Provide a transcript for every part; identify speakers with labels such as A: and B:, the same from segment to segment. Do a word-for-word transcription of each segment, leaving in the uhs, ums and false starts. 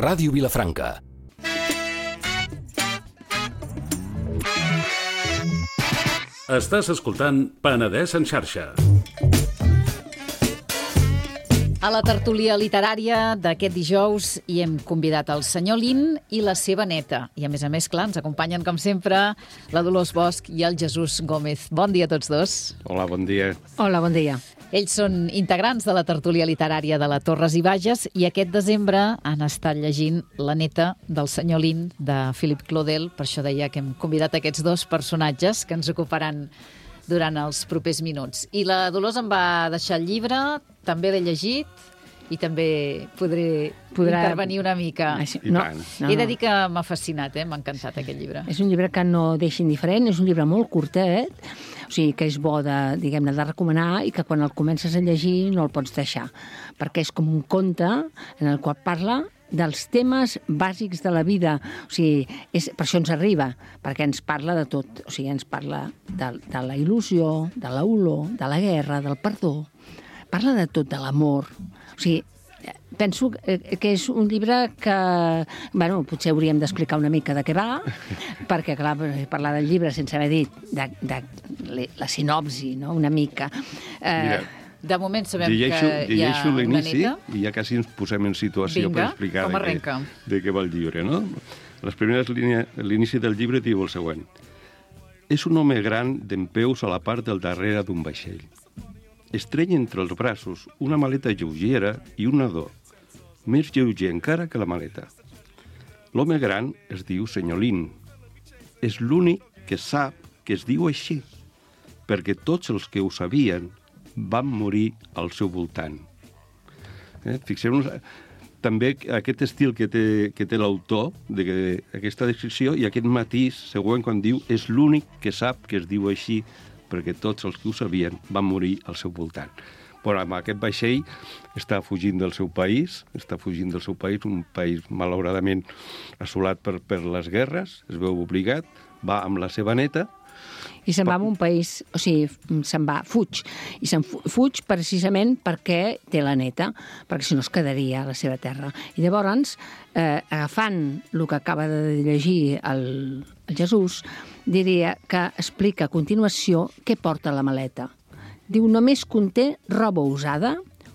A: Ràdio Vilafranca.
B: Estàs escoltant Penedès en xarxa.
C: A la tertúlia literària d'aquest dijous hi hem convidat el senyor Lin i la seva neta. I a més a més, clar, ens acompanyen com sempre la Dolors Bosch i el Jesús Gómez. Bon dia a tots dos.
D: Hola, bon dia.
E: Hola, bon dia.
C: Ells són integrants de la tertúlia literària de la Torres i Bages i aquest desembre han estat llegint La neta del senyor Lin, de Philip Claudel. Per això deia que hem convidat aquests dos personatges que ens ocuparan durant els propers minuts. I la Dolors em va deixar el llibre, també l'he llegit i també podré Podrà... intervenir una mica.
E: Així, no, no,
C: He de dir que m'ha fascinat, eh? M'ha encantat aquest llibre.
E: És un llibre que no deixa indiferent, és un llibre molt curtet, o sigui que és bo de, diguem-ne, de recomanar i que quan el comences a llegir no el pots deixar, perquè és com un conte en el qual parla dels temes bàsics de la vida. O sigui, és, per això ens arriba, perquè ens parla de tot. O sigui, ens parla de, de la il·lusió, de l'olor, de la guerra, del perdó. Parla de tot, de l'amor. O sigui, penso que és un llibre que, bueno, potser hauríem d'explicar una mica de què va, perquè, clar, parlar del llibre sense haver dit de, de la sinopsi, no?, una mica.
D: Eh, Mira,
C: de moment sabem
D: llegeixo,
C: que hi ha una neta.
D: I ja quasi ens posem en situació
C: Vinga,
D: per explicar
C: com
D: de què, de què va el llibre, no? Les primeres línies, l'inici del llibre diu el següent. És un home gran dempeus a la part del darrere d'un vaixell. Estreny entre els braços una maleta lleugera i un nadó, més lleuger encara que la maleta. L'home gran es diu senyor Lin. És l'únic que sap que es diu així, perquè tots els que ho sabien van morir al seu voltant. Eh? Fixeu-nos també aquest estil que té, que té l'autor, d'aquesta descripció, i aquest matís següent quan diu és l'únic que sap que es diu així, perquè tots els que ho sabien van morir al seu voltant. Però amb aquest vaixell està fugint del seu país, està fugint del seu país, un país malauradament assolat per, per les guerres, es veu obligat, va amb la seva neta,
E: i se'n va a un país, o sigui, se'n va, fuig. I se'n fuig precisament perquè té la neta, perquè si no es quedaria a la seva terra. I llavors, eh, agafant el que acaba de llegir el, el Jesús, diria que explica a continuació què porta la maleta. Diu, només conté roba usada,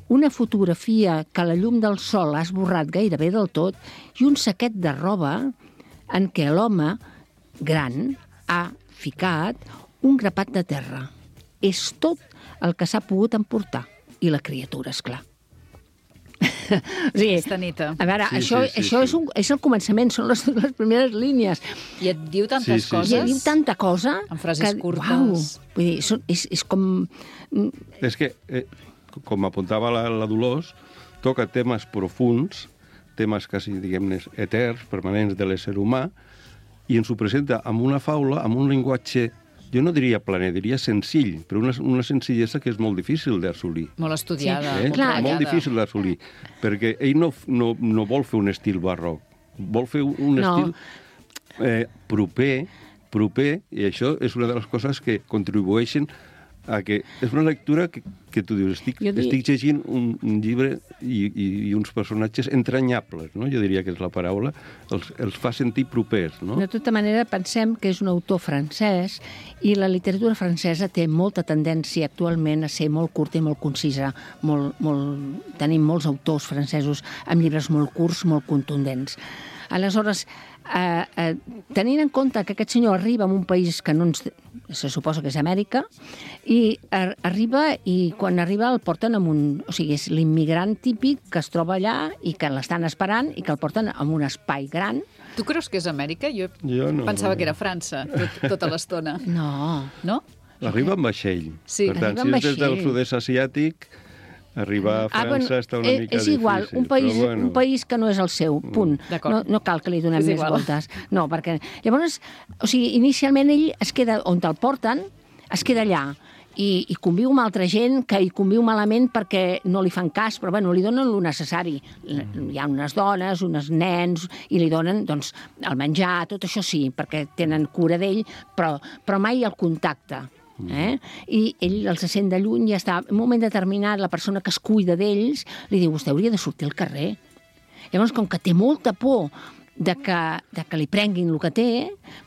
E: una fotografia que la llum del sol ha esborrat gairebé del tot i un saquet de roba en què l'home gran ha ficat un grapat de terra. És tot el que s'ha pogut emportar. I la criatura, esclar.
C: O sigui, Aquesta neta.
E: A veure,
D: sí,
E: això,
D: sí, sí,
E: això
D: sí.
E: És, un, és el començament, són les, les primeres línies.
C: I et diu tantes
D: Sí, sí,
C: coses.
E: I et diu tanta cosa...
C: En frases
E: que,
C: curtes.
E: Uau, vull dir, és, és, és com...
D: És que, eh, com apuntava la, la Dolors, toca temes profuns, temes quasi, diguem-ne, eterns, permanents de l'ésser humà, i ens ho presenta amb una faula, amb un llenguatge, jo no diria planer, diria senzill, però una, una senzillesa que és molt difícil d'assolir.
C: Molt estudiada.
D: Eh?
C: Molt
E: Clar,
D: molt
C: treballada.
D: difícil d'assolir, perquè ell no, no, no vol fer un estil barroc, vol fer un
E: No.
D: estil eh, proper, proper, i això és una de les coses que contribueixen a que és una lectura que, que tu dius, estic,
E: Jo dic...
D: estic llegint un, un llibre i, i, i uns personatges entranyables, no? Jo diria que és la paraula, els, els fa sentir propers, no?
E: De tota manera, pensem que és un autor francès i la literatura francesa té molta tendència actualment a ser molt curta i molt concisa. Molt, molt... Tenim molts autors francesos amb llibres molt curts, molt contundents. Aleshores, eh, eh, tenint en compte que aquest senyor arriba a un país que no ens... se suposa que és Amèrica, i ar arriba i quan arriba el porten amb un... O sigui, és l'immigrant típic que es troba allà i que l'estan esperant i que el porten en un espai gran.
C: Tu creus que és Amèrica? Jo,
D: Jo no.
C: pensava que era França, tot, tota l'estona.
E: No,
C: No?
D: Arriba amb vaixell.
C: Sí,
D: per tant,
E: arriba amb
D: si és des del
E: vaixell.
D: sud-est asiàtic, arribar a França
E: ah, bueno,
D: està una
E: eh,
D: mica
E: és igual,
D: difícil.
E: un país,
D: però bueno.
E: un país que no és el seu, punt.
C: D'acord.
E: No, no cal que li donem
C: És
E: més
C: igual.
E: voltes. No, perquè... Llavors, o sigui, inicialment ell es queda on te'l porten, es queda allà, i, i conviu amb altra gent que hi conviu malament perquè no li fan cas, però bueno, li donen el necessari. Hi ha unes dones, uns nens, i li donen doncs, el menjar, tot això sí, perquè tenen cura d'ell, però, però mai el contacte. Eh? I ell els sent de lluny i està, en un moment determinat la persona que es cuida d'ells li diu, vostè hauria de sortir al carrer. Llavors, com que té molta por de que, de que li prenguin el que té,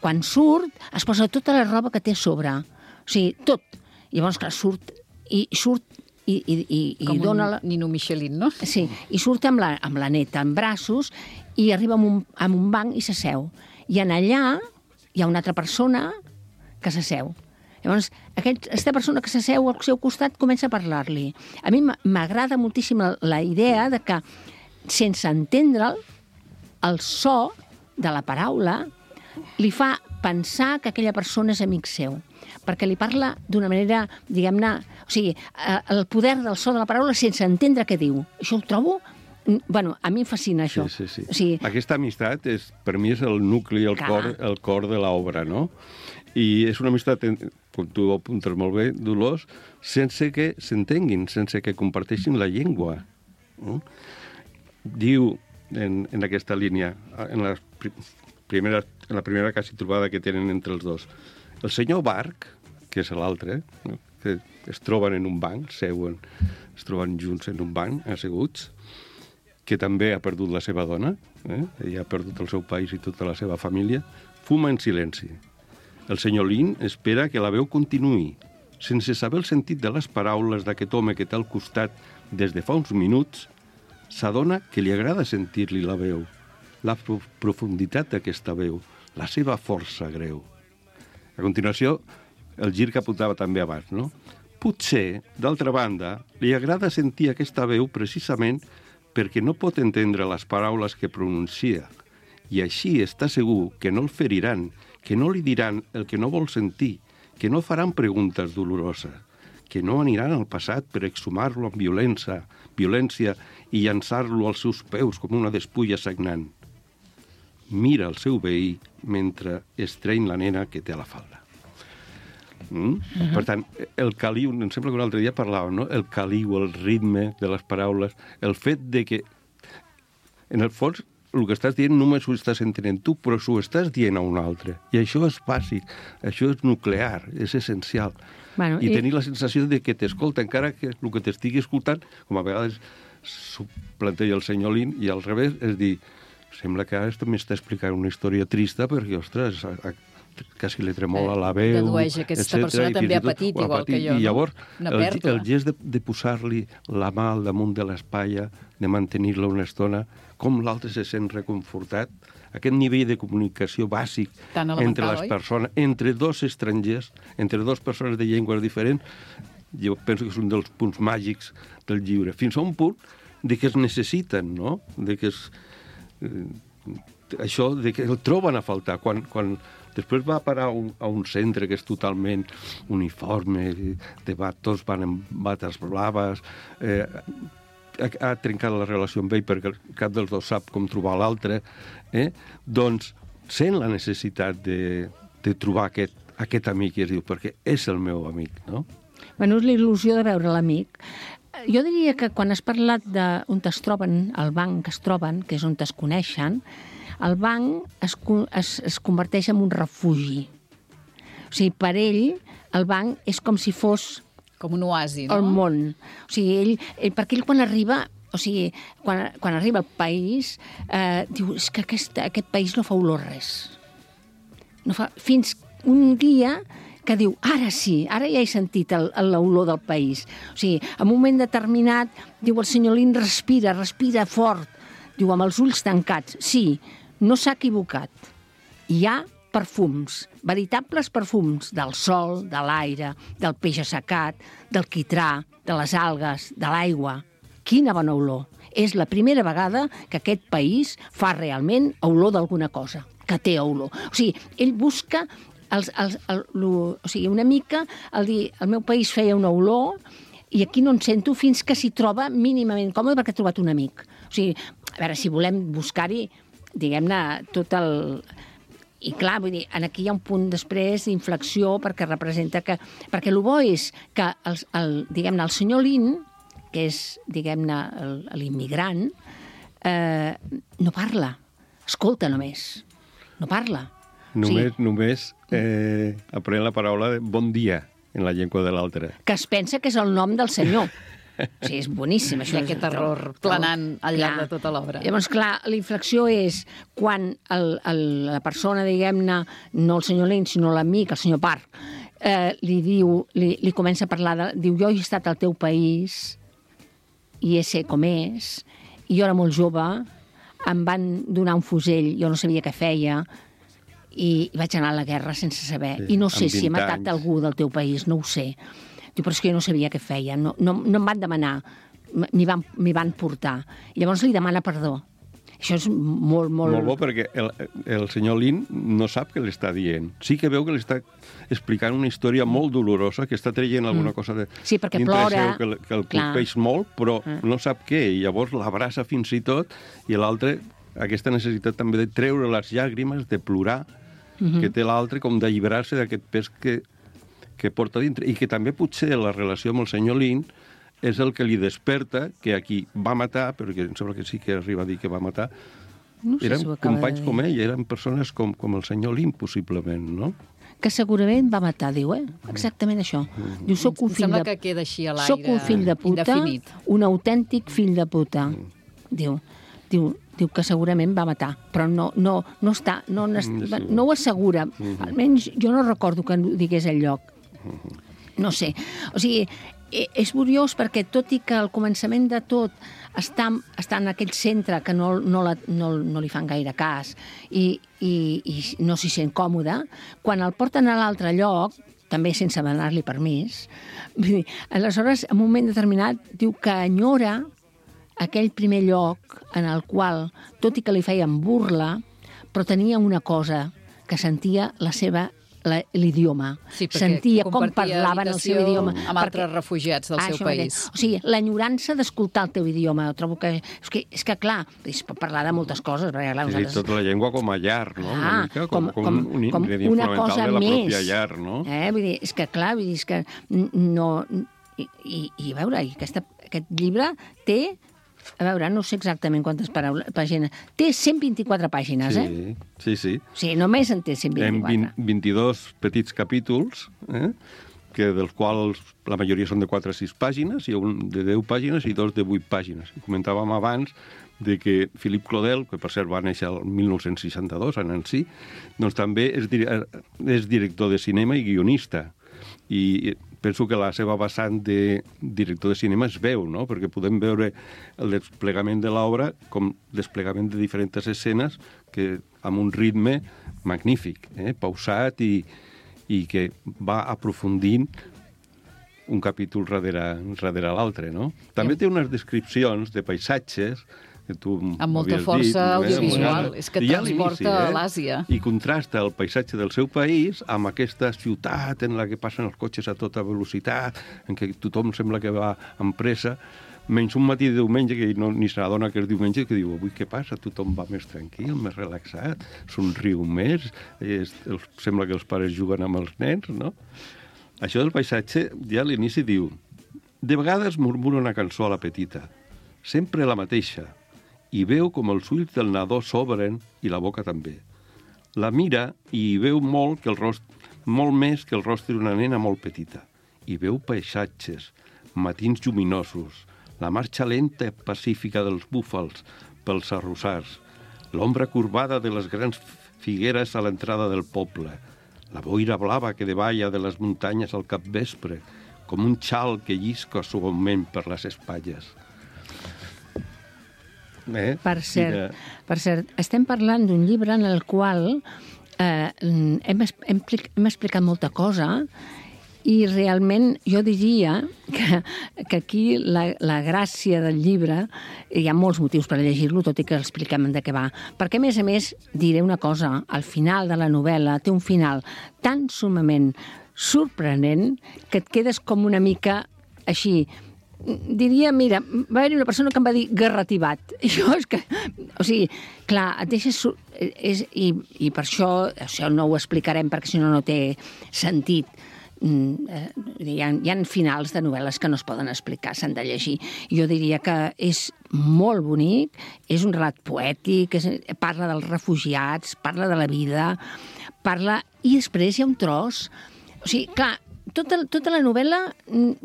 E: quan surt, es posa tota la roba que té a sobre. O sigui, tot. Llavors, clar, surt i surt i, i, i,
C: com
E: i dona...
C: un
E: La...
C: Nino Michelin, no?
E: Sí, i surt amb la, amb la neta en braços i arriba amb un, amb un banc i s'asseu. I en allà hi ha una altra persona que s'asseu. Llavors, aquesta persona que s'asseu al seu costat comença a parlar-li. A mi m'agrada moltíssim la idea de que, sense entendre'l, el so de la paraula li fa pensar que aquella persona és amic seu, perquè li parla d'una manera, diguem-ne... O sigui, el poder del so de la paraula sense entendre què diu. Això ho trobo... Bueno, a mi em fascina això.
D: Sí, sí, sí.
E: O sigui,
D: aquesta amistat, és, per mi, és el nucli, el
E: Clar.
D: cor, el cor de l'obra, no? I és una amistat, com tu apuntes molt bé, Dolors, sense que s'entenguin, sense que comparteixin la llengua. No? Diu, en, en aquesta línia, en la, primera, en la primera quasi trobada que tenen entre els dos, el senyor Barc, que és l'altre, no? Que es troben en un banc, seuen, es troben junts en un banc, asseguts, que també ha perdut la seva dona, eh? Ella ha perdut el seu país i tota la seva família, fuma en silenci. El senyor Lin espera que la veu continuï, sense saber el sentit de les paraules d'aquest home que té al costat des de fa uns minuts, s'adona que li agrada sentir-li la veu, la profunditat d'aquesta veu, la seva força greu. A continuació, el gir que apuntava també abans, no? Potser, d'altra banda, li agrada sentir aquesta veu precisament perquè no pot entendre les paraules que pronuncia, i així està segur que no el feriran, que no li diran el que no vol sentir, que no faran preguntes doloroses, que no aniran al passat per exhumar-lo amb violència, violència i llançar-lo als seus peus com una despulla sagnant. Mira el seu veí mentre estreny la nena que té a la falda. Mm? Uh-huh. Per tant, el caliu, em sembla que un altre dia parlàvem, no? El caliu, el ritme de les paraules, el fet de que, en el fons, el que estàs dient només ho estàs entenent tu, però s'ho estàs dient a un altre. I això és bàsic, això és nuclear, és essencial.
E: Bueno,
D: I,
E: i
D: tenir la sensació de que t'escolta, encara que el que t'estigui escoltant, com a vegades s'ho planteja el senyor Lin, i al revés, és dir, sembla que ara m'està explicant una història trista perquè, ostres, quasi li tremola la veu...
C: Dedueix que aquesta
D: etcètera,
C: persona també ha patit,
D: ha
C: igual
D: patit,
C: que jo,
D: I llavors,
C: no?
D: el, el gest de, de posar-li la mà al damunt de l'espatlla, de mantenir-la una estona, com l'altre se sent reconfortat, aquest nivell de comunicació bàsic entre les persones, entre dos estrangers, entre dues persones de llengües diferents, jo penso que és un dels punts màgics del llibre, fins a un punt de que es necessiten, no? De que es, eh, això, de que el troben a faltar. Quan, quan després va a parar a un, a un centre que és totalment uniforme, de bat, tots van amb bates blaves, eh, ha, ha trencat la relació amb ell perquè cap dels dos sap com trobar l'altre, eh? Doncs sent la necessitat de, de trobar aquest, aquest amic, i es diu, perquè és el meu amic, no?
E: Bueno, és la il·lusió de veure l'amic. Jo diria que quan has parlat d'on es troben, el banc que es troben, que és on es coneixen, el banc es, es, es converteix en un refugi. O sigui, per ell, el banc és com si fos...
C: Com un oasi, no?
E: El món. O sigui, ell, ell, perquè ell quan arriba... O sigui, quan, quan arriba al país, eh, diu, és que aquest, aquest país no fa olor res. No fa, fins un dia que diu, ara sí, ara ja he sentit l'olor del país. O sigui, en un moment determinat, diu el senyor Lin, respira, respira fort. Diu, amb els ulls tancats. Sí, no s'ha equivocat. Hi ha perfums, veritables perfums del sol, de l'aire, del peix assecat, del quitrà, de les algues, de l'aigua. Quina bona olor. És la primera vegada que aquest país fa realment olor d'alguna cosa, que té olor. O sigui, ell busca els, els, el, el, o sigui, una mica el dir, el meu país feia una olor i aquí no en sento fins que s'hi troba mínimament còmode perquè ha trobat un amic. O sigui, a veure, si volem buscar-hi, diguem-ne, tot el... I clar, vull dir, aquí hi ha un punt després d'inflexió perquè representa que... Perquè el bo és que, el, el, diguem-ne, el senyor Lin, que és, diguem-ne, l'immigrant, eh, no parla. Escolta només. No parla.
D: Només,
E: o sigui,
D: només eh, aprèn la paraula de bon dia en la llengua de l'altre.
E: Que es pensa que és el nom del senyor. O sigui, és boníssim. Això
C: I aquest error planant al llarg de tota l'obra.
E: Llavors, clar, la inflexió és quan el, el, la persona, diguem-ne, no el senyor Lynch, sinó l'amic, el senyor Park, eh, li diu, li, li comença a parlar, de, diu, jo he estat al teu país i he sé com és, i jo era molt jove, em van donar un fusell, jo no sabia què feia, i vaig anar a la guerra sense saber.
D: Sí,
E: I no sé si he matat
D: anys.
E: algú del teu país, no ho sé. Diu, però és que jo no sabia què feia, no, no, no em van demanar, m'hi van, m'hi van portar. I llavors li demana perdó. Això és molt, molt...
D: Molt bo, perquè el, el senyor Lin no sap què li està dient. Sí que veu que li està explicant una història molt dolorosa, que està traient alguna cosa de,
E: Sí, perquè
D: dintre
E: plora,
D: seu, que, que el
E: clar.
D: colpeix molt, però no sap què, i llavors l'abraça fins i tot, i l'altre, aquesta necessitat també de treure les llàgrimes, de plorar, que té l'altre, com d'alliberar-se d'aquest pes que, que porta dintre. I que també potser la relació amb el senyor Lin és el que li desperta que a qui va matar, però que em sembla que sí que arriba a dir que va matar,
E: No sé
D: eren
E: si ho acaba
D: companys
E: de dir.
D: com ell, eren persones com, com el senyor Lin, possiblement, no?
E: Que segurament va matar, diu, eh? Exactament això. Diu, soc un
C: Em
E: fill
C: sembla
E: de...
C: que queda així a l'aire.
E: Soc un fill de puta,
C: indefinit.
E: un autèntic fill de puta. Diu, diu, diu que segurament va matar, però no, no, no, està, no, no, no ho assegura. Almenys jo no recordo que ho digués al lloc. No sé. O sigui, és curiós perquè tot i que al començament de tot està, està en aquell centre que no, no, la, no, no li fan gaire cas i, i, i no s'hi sent còmode, quan el porten a l'altre lloc, també sense demanar-li permís, vull dir, aleshores, en un moment determinat, diu que enyora aquell primer lloc en el qual, tot i que li feien burla, però tenia una cosa, que sentia la seva la- l'idioma.
C: Sí, perquè
E: Sentia com
C: compartia
E: parlaven el seu
C: habitació
E: idioma.
C: amb altres refugiats del
E: Ah,
C: seu
E: això mateix.
C: país.
E: O sigui, l'enyorança d'escoltar el teu idioma. Trobo que... És que, és que clar, es pot parlar de moltes coses, perquè clar,
D: Sí, sí,
E: nosaltres...
D: tota la llengua com a llar, no? Una
E: Ah,
D: mica,
E: com, com,
D: un
E: com
D: ingredient
E: una
D: fonamental
E: cosa
D: de la
E: més.
D: pròpia llar, no?
E: Eh? Vull dir, és que clar, vull dir, és que no... I, i, i a veure, i aquesta, aquest llibre té, a veure, no sé exactament quantes paraules, pàgines, té cent vint-i-quatre pàgines, eh?
D: Sí, sí, sí.
E: O sigui, només en té cent
D: En
E: vint-i-quatre.
D: vint, vint-i-dos petits capítols, eh? que dels quals la majoria són de quatre a sis pàgines, i un de deu pàgines i dos de vuit pàgines. I comentàvem abans de que Philippe Claudel, que per cert va néixer el mil nou-cents seixanta-dos a Nancy, doncs també és, dir és director de cinema i guionista. I penso que la seva vessant de director de cinema es veu, no? Perquè podem veure el desplegament de l'obra com desplegament de diferents escenes que amb un ritme magnífic, eh? pausat i, i que va aprofundint un capítol darrere, darrere l'altre, no? També té unes descripcions de paisatges que tu
C: Amb molta
D: havies
C: força
D: dit, eh?
C: audiovisual. És que
D: Ja a
C: transporta
D: l'inici,
C: a l'Àsia.
D: I contrasta el paisatge del seu país amb aquesta ciutat en la que passen els cotxes a tota velocitat, en què tothom sembla que va amb pressa, menys un matí de diumenge que no, ni se n'adona que és diumenge, que diu, avui què passa? Tothom va més tranquil, més relaxat, somriu més, és, els, sembla que els pares juguen amb els nens, no? Això del paisatge, ja a l'inici diu, de vegades murmura una cançó a la petita, sempre la mateixa, i veu com els ulls del nadó s'obren i la boca també. La mira i hi veu molt, que el rost... molt més que el rostre d'una nena molt petita. Hi veu paisatges, matins lluminosos, la marxa lenta i pacífica dels búfals pels arrossars, l'ombra corbada de les grans figueres a l'entrada del poble, la boira blava que davalla de les muntanyes al capvespre, com un xal que llisca suaument per les espatlles. Eh?
E: Per cert,
D: Mira,
E: per cert, estem parlant d'un llibre en el qual eh, hem, es- hem, plic- hem explicat molta cosa i realment jo diria que, que aquí la, la gràcia del llibre, hi ha molts motius per llegir-lo, tot i que expliquem de què va. Perquè, a més a més, diré una cosa, al final de la novel·la té un final tan sumament sorprenent que et quedes com una mica així, diria, mira, va haver-hi una persona que em va dir garrativat. Això és que... O sigui, clar, et deixes... sur- És, i, I per això, això no ho explicarem perquè si no no té sentit. Mm, eh, Hi ha, hi ha finals de novel·les que no es poden explicar, s'han de llegir. Jo diria que és molt bonic, és un relat poètic, és, parla dels refugiats, parla de la vida, parla... I després hi ha un tros... O sigui, clar, tota, tota la novel·la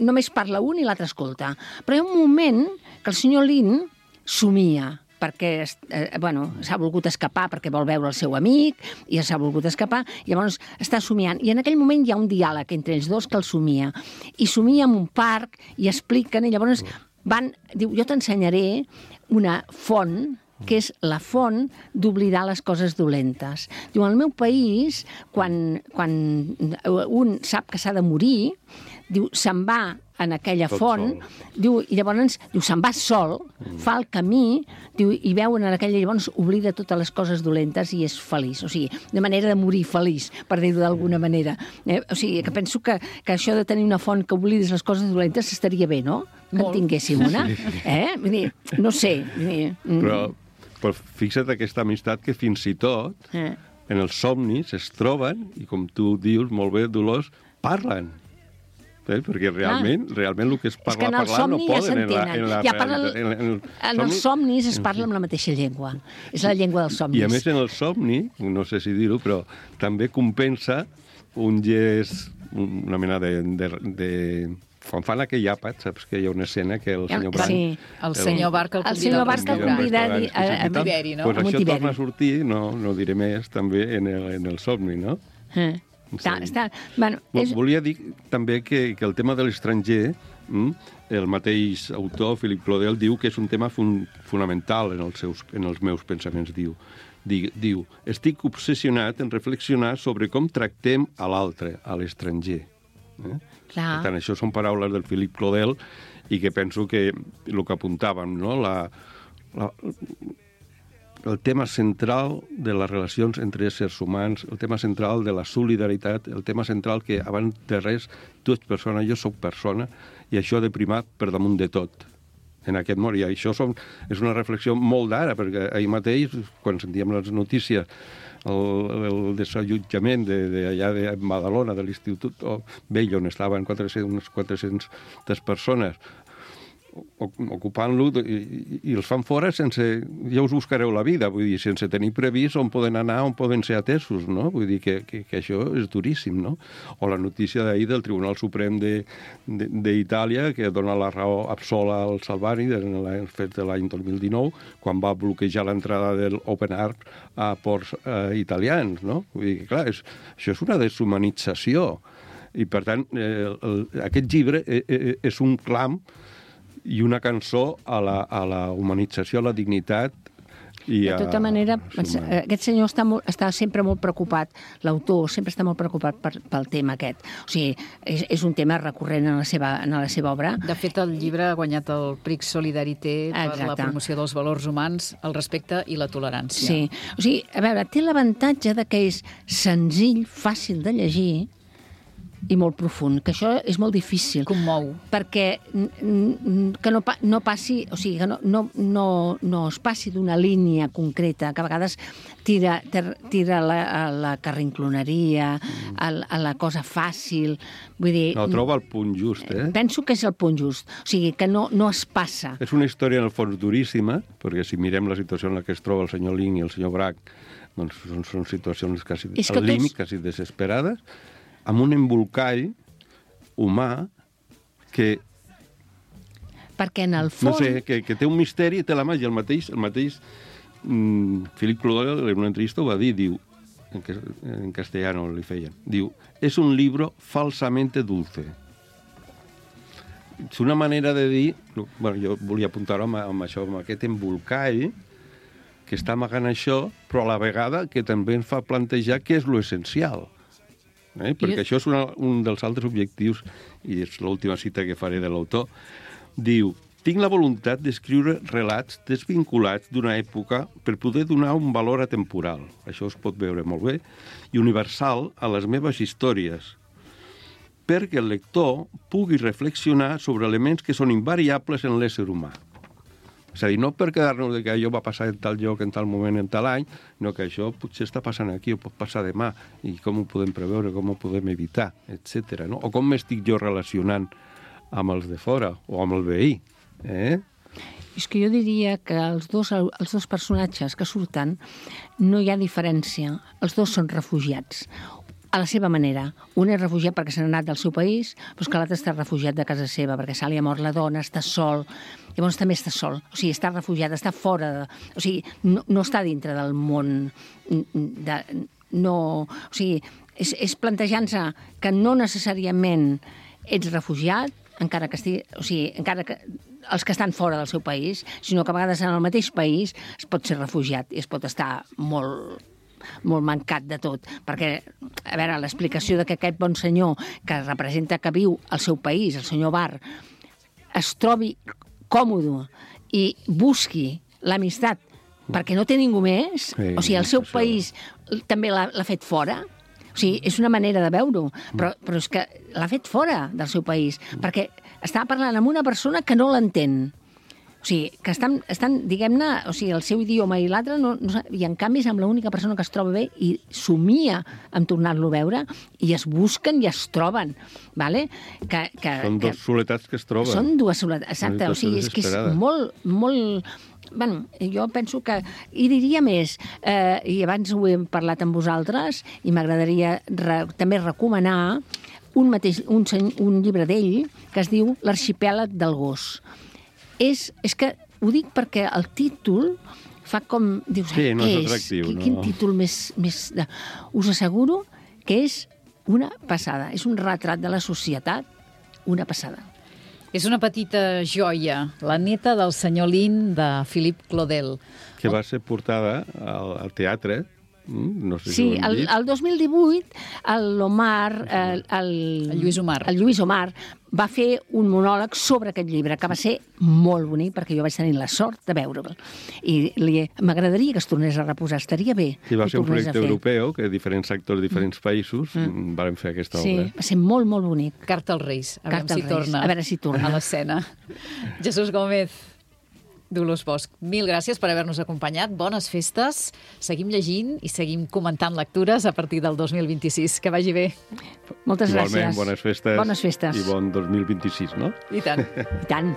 E: només parla un i l'altre escolta. Però hi ha un moment que el senyor Lin somia, perquè eh, bueno, s'ha volgut escapar perquè vol veure el seu amic i s'ha volgut escapar, i llavors està somiant. I en aquell moment hi ha un diàleg entre ells dos que el somia. I somia en un parc i expliquen, i llavors van... Diu, jo t'ensenyaré una font que és la font d'oblidar les coses dolentes. Diu, al meu país, quan, quan un sap que s'ha de morir, diu, se'n va en aquella
D: Tot
E: font,
D: sol.
E: diu, i llavors diu, se'n va sol, mm. fa el camí, diu, i veu en aquella, llavors oblida totes les coses dolentes i és feliç. O sigui, de manera de morir feliç, per dir-ho d'alguna manera. Eh? O sigui, que penso que, que això de tenir una font que oblidis les coses dolentes estaria bé, no? Que en tinguéssim una. Eh? Vull dir, no sé. Vull dir, mm.
D: Però, però fixa't aquesta amistat que fins i tot
E: eh.
D: en els somnis es troben i, com tu dius molt bé, Dolors, parlen. Eh? Perquè realment, ah. realment el que es parla
E: és
D: parlant no poden
E: ja
D: en la, en la
E: ja parla,
D: realitat. En, en, el
E: en els somnis es parla amb la mateixa llengua. És la llengua dels somnis.
D: I a més en el somni, no sé si dir-ho, però també compensa un gest, una mena de... de, de quan fan aquell àpat, saps que hi ha una escena que el senyor Branc...
E: Sí.
C: El senyor Barca el convida
E: senyor Barca el convida a, a, a
C: Tiberi, no?
D: Pues això torna a sortir, no, no diré més, també en el, en el somni, no?
E: Eh. Està, està, bueno, és...
D: Volia dir també que, que el tema de l'estranger, mm, el mateix autor, Philip Claudel, diu que és un tema fun, fonamental en els, seus, en els meus pensaments. Diu, diu, diu, estic obsessionat en reflexionar sobre com tractem a l'altre, a l'estranger. Eh?
E: Clar.
D: Per tant, això són paraules del Philip Claudel i que penso que el que apuntàvem, no? la, la, el tema central de les relacions entre éssers humans, el tema central de la solidaritat, el tema central que, abans de res, tu ets persona, jo sóc persona, i això ha de primar per damunt de tot en aquest món. I això som, és una reflexió molt d'ara, perquè ahir mateix, quan sentíem les notícies, el, el desallotjament de, de allà de Badalona, de l'Institut Vell, on estaven quatre-cents, unes quatre-centes persones, ocupant-lo, i, i els fan fora sense... Ja us buscareu la vida, vull dir, sense tenir previst on poden anar, on poden ser atesos, no? Vull dir que, que, que això és duríssim, no? O la notícia d'ahir del Tribunal Suprem d'Itàlia, que dona la raó absola al Salvani, en el fet de l'any dos mil dinou, quan va bloquejar l'entrada del Open Arms a ports eh, italians, no? Vull dir que, clar, és, això és una deshumanització. I, per tant, eh, el, aquest llibre eh, eh, és un clam i una cançó a la, a la humanització, a la dignitat i a...
E: De tota manera, aquest senyor està, molt, està sempre molt preocupat, l'autor sempre està molt preocupat per, pel tema aquest. O sigui, és, és un tema recurrent en la, seva, en la seva obra.
C: De fet, el llibre ha guanyat el Prix Solidarité per
E: Exacte.
C: La promoció dels valors humans, el respecte i la tolerància.
E: Sí. O sigui, a veure, té l'avantatge de que és senzill, fàcil de llegir, i molt profund, que això és molt difícil.
C: Commou.
E: Perquè que no, no passi, o sigui, que no, no, no, no es passi d'una línia concreta, que a vegades tira, tira la, a la carrincloneria, a, a la cosa fàcil. Vull dir...
D: No, troba el punt just, eh?
E: Penso que és el punt just. O sigui, que no, no es passa.
D: És una història, en el fons, duríssima, perquè si mirem la situació en la que es troba el senyor Lin i el senyor Brac, doncs són, són situacions quasi al límit, quasi desesperades, amb un embolcall humà que...
E: Perquè en el fons...
D: No sé, que, que té un misteri i té la màgia. El mateix, el mateix mm, Philip Claudel en una entrevista ho va dir, diu, en, en castellano li feien, diu, és un libro falsamente dulce. És una manera de dir... Bueno, jo volia apuntar-ho amb, amb això, amb aquest embolcall que està amagant això, però a la vegada que també ens fa plantejar què és lo essencial. Eh? Perquè això és una, un dels altres objectius, i és l'última cita que faré de l'autor. Diu, tinc la voluntat d'escriure relats desvinculats d'una època per poder donar un valor atemporal, això es pot veure molt bé, i universal a les meves històries, perquè el lector pugui reflexionar sobre elements que són invariables en l'ésser humà. És a dir, no per quedar-nos que allò va passar en tal lloc, en tal moment, en tal any, sinó que això potser està passant aquí o pot passar demà, i com ho podem preveure, com ho podem evitar, etcètera. No? O com m'estic jo relacionant amb els de fora o amb el veí. Eh?
E: És que jo diria que els dos, els dos personatges que surten no hi ha diferència. Els dos són refugiats. a la seva manera. Un és refugiat perquè s'ha anat del seu país, però que l'altre està refugiat de casa seva, perquè se li ha mort la dona, està sol, llavors també està sol. O sigui, està refugiat, està fora de... O sigui, no, no està dintre del món de... No... O sigui, és, és plantejant-se que no necessàriament ets refugiat, encara que estigui... O sigui, encara que els que estan fora del seu país, sinó que a vegades en el mateix país es pot ser refugiat i es pot estar molt... molt mancat de tot, perquè, a veure, l'explicació de que aquest bon senyor que representa que viu al seu país, el senyor Bar, es trobi còmode i busqui l'amistat perquè no té ningú més, sí, o sigui, el seu país també l'ha fet fora, o sigui, és una manera de veure-ho, però, però és que l'ha fet fora del seu país, perquè està parlant amb una persona que no l'entén. O sigui, que estan, estan diguem-ne, o sigui, el seu idioma i l'altre, no, no, i en canvi és amb l'única persona que es troba bé i somia en tornar-lo a veure i es busquen i es troben, vale? Que, que,
D: són
E: que,
D: dues soletats que es troben.
E: Són dues soletats, exacte, o sigui, és que és molt, molt... Bueno, jo penso que... I diria més, eh, i abans ho hem parlat amb vosaltres, i m'agradaria re, també recomanar un, mateix, un, un llibre d'ell que es diu L'arxipèlag del gos. És, és que ho dic perquè el títol fa com... Dius,
D: sí, no és
E: què
D: atractiu,
E: és?
D: no?
E: Quin títol més... més de... Us asseguro que és una passada. És un retrat de la societat, una passada.
C: És una petita joia, la neta del senyor Lin, de Philippe Claudel.
D: Que va ser portada al, al teatre. No sé
E: sí,
D: si
E: el, el dos mil divuit l'Omar, el, el,
C: el Lluís Omar.
E: el Lluís Omar va fer un monòleg sobre aquest llibre, que va ser molt bonic, perquè jo vaig tenir la sort de veure'l. I m'agradaria que es tornés a reposar, estaria bé.
D: I va ser un projecte europeu, que diferents actors de diferents països mm. van fer aquesta
E: sí,
D: obra.
E: Sí, va ser molt, molt bonic.
C: Carta als Reis, a veure
E: Carta
C: si
E: als Reis.
C: torna
E: A veure si torna.
C: a l'escena. Jesús Gómez, Dolors Bosch, mil gràcies per haver-nos acompanyat. Bones festes. Seguim llegint i seguim comentant lectures a partir del dos mil vint-i-sis. Que vagi bé.
E: Moltes
D: Igualment,
E: gràcies.
D: bones festes.
E: Bones festes.
D: I bon dos mil vint-i-sis, no?
C: I tant.
E: I tant.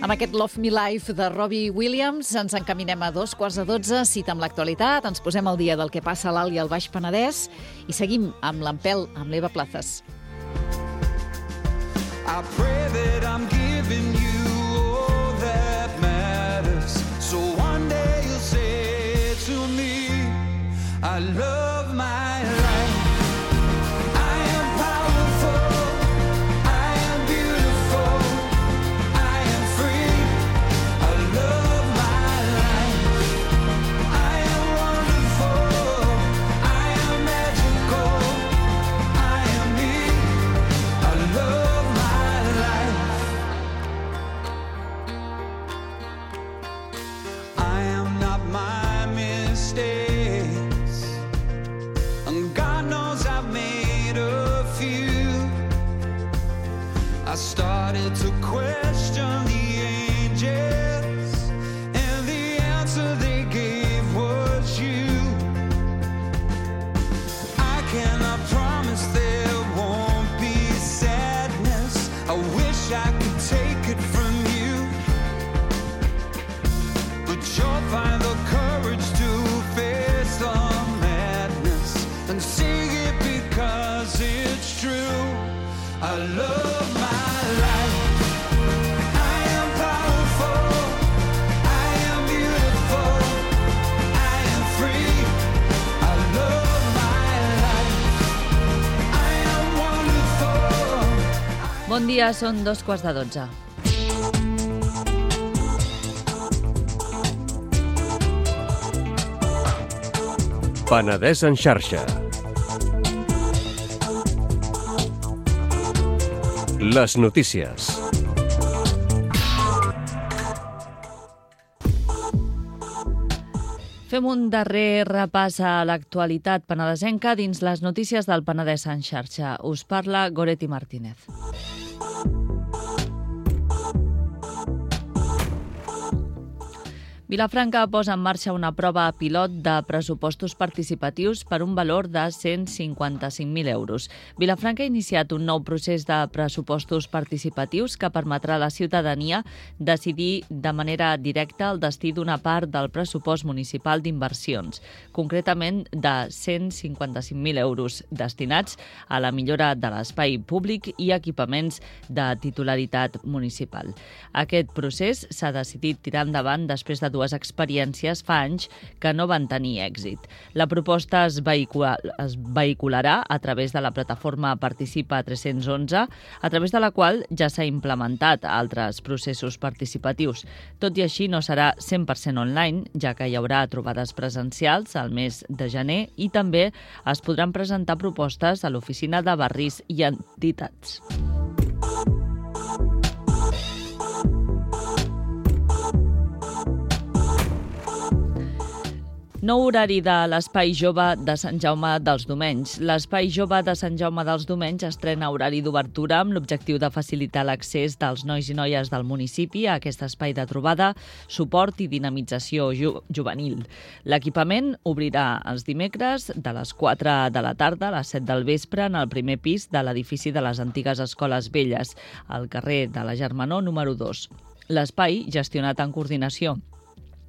C: Amb aquest Love Me Life de Robbie Williams ens encaminem a dos quarts de dotze, cita amb l'actualitat, ens posem al dia del que passa a l'Alt i al Baix Penedès i seguim amb l'Empel, amb l'Eva Plazas. I pray that I'm giving you all that matters, so one day you'll say to me, I love my life. I started to question the angels, and the answer they gave was you. I cannot promise there won't be sadness. I wish I could take it from you, but you'll find the courage to face the madness and say it because it's true. I love my Bon dia, són dos quarts de dotze.
A: Penedès en xarxa. Les notícies.
C: Fem un darrer repàs a l'actualitat penedesenca dins les notícies del Penedès en xarxa. Us parla Goretti Martínez.
F: Vilafranca posa en marxa una prova pilot de pressupostos participatius per un valor de cent cinquanta-cinc mil euros. Vilafranca ha iniciat un nou procés de pressupostos participatius que permetrà a la ciutadania decidir de manera directa el destí d'una part del pressupost municipal d'inversions, concretament de cent cinquanta-cinc mil euros destinats a la millora de l'espai públic i equipaments de titularitat municipal. Aquest procés s'ha decidit tirar endavant després de dues experiències fa anys que no van tenir èxit. La proposta es, vehicula, es vehicularà a través de la plataforma Participa tres-cents onze, a través de la qual ja s'ha implementat altres processos participatius. Tot i així, no serà cent per cent online, ja que hi haurà trobades presencials al mes de gener i també es podran presentar propostes a l'oficina de barris i entitats. Nou horari de l'Espai Jove de Sant Jaume dels Domenys. L'Espai Jove de Sant Jaume dels Domenys estrena horari d'obertura amb l'objectiu de facilitar l'accés dels nois i noies del municipi a aquest espai de trobada, suport i dinamització ju juvenil. L'equipament obrirà els dimecres de les quatre de la tarda a les set del vespre en el primer pis de l'edifici de les antigues Escoles Velles, al carrer de la Germanor número dos. L'espai, gestionat en coordinació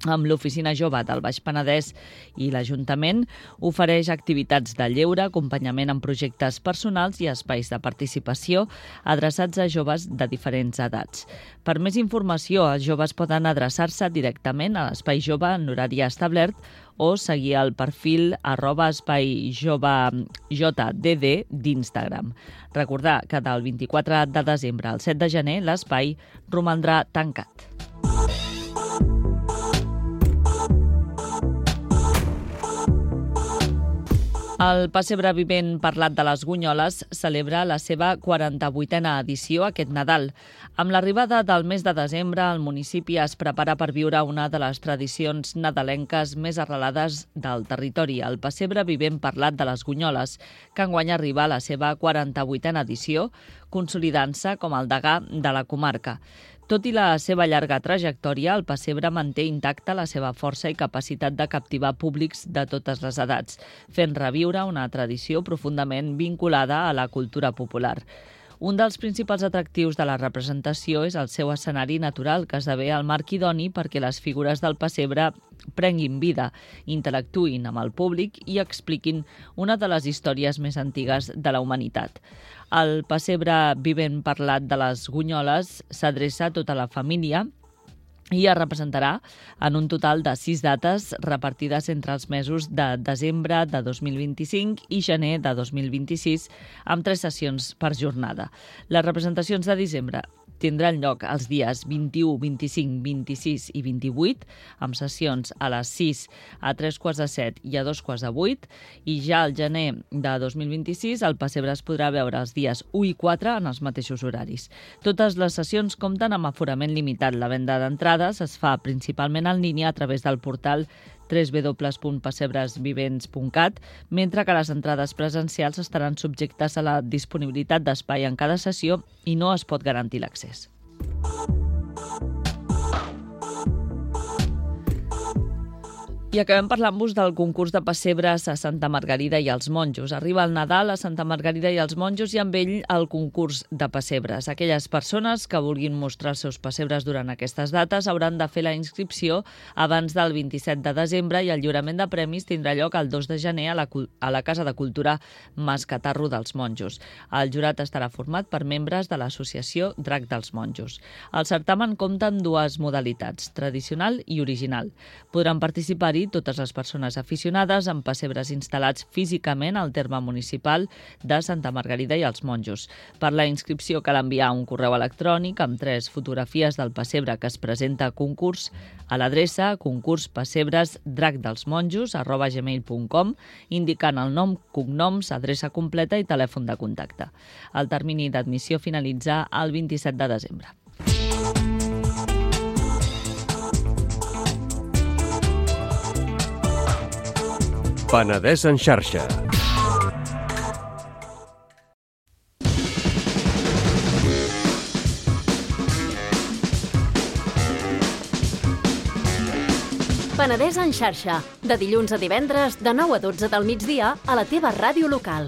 F: amb l'Oficina Jove del Baix Penedès i l'Ajuntament, ofereix activitats de lleure, acompanyament en projectes personals i espais de participació adreçats a joves de diferents edats. Per més informació, els joves poden adreçar-se directament a l'Espai Jove en horari establert o seguir el perfil arroba espai jove J D D d'Instagram. Recordar que del vint-i-quatre de desembre al set de gener l'espai romandrà tancat. El Pessebre Vivent Parlat de les Gunyoles celebra la seva quaranta-vuitena edició aquest Nadal. Amb l'arribada del mes de desembre, el municipi es prepara per viure una de les tradicions nadalenques més arrelades del territori, el Pessebre Vivent Parlat de les Gunyoles, que enguany arriba a la seva quaranta-vuitena edició, consolidant-se com el degà de la comarca. Tot i la seva llarga trajectòria, el pessebre manté intacta la seva força i capacitat de captivar públics de totes les edats, fent reviure una tradició profundament vinculada a la cultura popular. Un dels principals atractius de la representació és el seu escenari natural, que esdevé el marc idoni perquè les figures del pessebre prenguin vida, interactuïn amb el públic i expliquin una de les històries més antigues de la humanitat. El Pessebre Vivent Parlat de les Gunyoles s'adreça a tota la família i es representarà en un total de sis dates repartides entre els mesos de desembre de dos mil vint-i-cinc i gener de dos mil vint-i-sis, amb tres sessions per jornada. Les representacions de desembre tindran lloc els dies vint-i-u, vint-i-cinc, vint-i-sis i vint-i-vuit, amb sessions a les sis, a tres quarts de set i a dos quarts de vuit, i ja al gener de dos mil vint-i-sis el pessebre es podrà veure els dies u i quatre en els mateixos horaris. Totes les sessions compten amb aforament limitat. La venda d'entrades es fa principalment en línia a través del portal w w w punt pessebresvivents punt cat, mentre que les entrades presencials estaran subjectes a la disponibilitat d'espai en cada sessió i no es pot garantir l'accés. I acabem parlant-vos del concurs de pessebres a Santa Margarida i els Monjos. Arriba el Nadal a Santa Margarida i els Monjos i amb ell el concurs de pessebres. Aquelles persones que vulguin mostrar els seus pessebres durant aquestes dates hauran de fer la inscripció abans del vint-i-set de desembre i el lliurament de premis tindrà lloc el dos de gener a la, a la Casa de Cultura Mas Catarro dels Monjos. El jurat estarà format per membres de l'associació Drac dels Monjos. El certamen compta amb dues modalitats, tradicional i original. Podran participar-hi totes les persones aficionades amb pessebres instal·lats físicament al terme municipal de Santa Margarida i els Monjos. Per la inscripció cal enviar un correu electrònic amb tres fotografies del pessebre que es presenta a concurs a l'adreça concurspassebresdracdelsmonjos arroba gmail punt com, indicant el nom, cognoms, adreça completa i telèfon de contacte. El termini d'admissió finalitza el vint-i-set de desembre.
A: Penedès en xarxa.
G: Penedès en xarxa, de dilluns a divendres, de nou a dotze del migdia, a la teva ràdio local.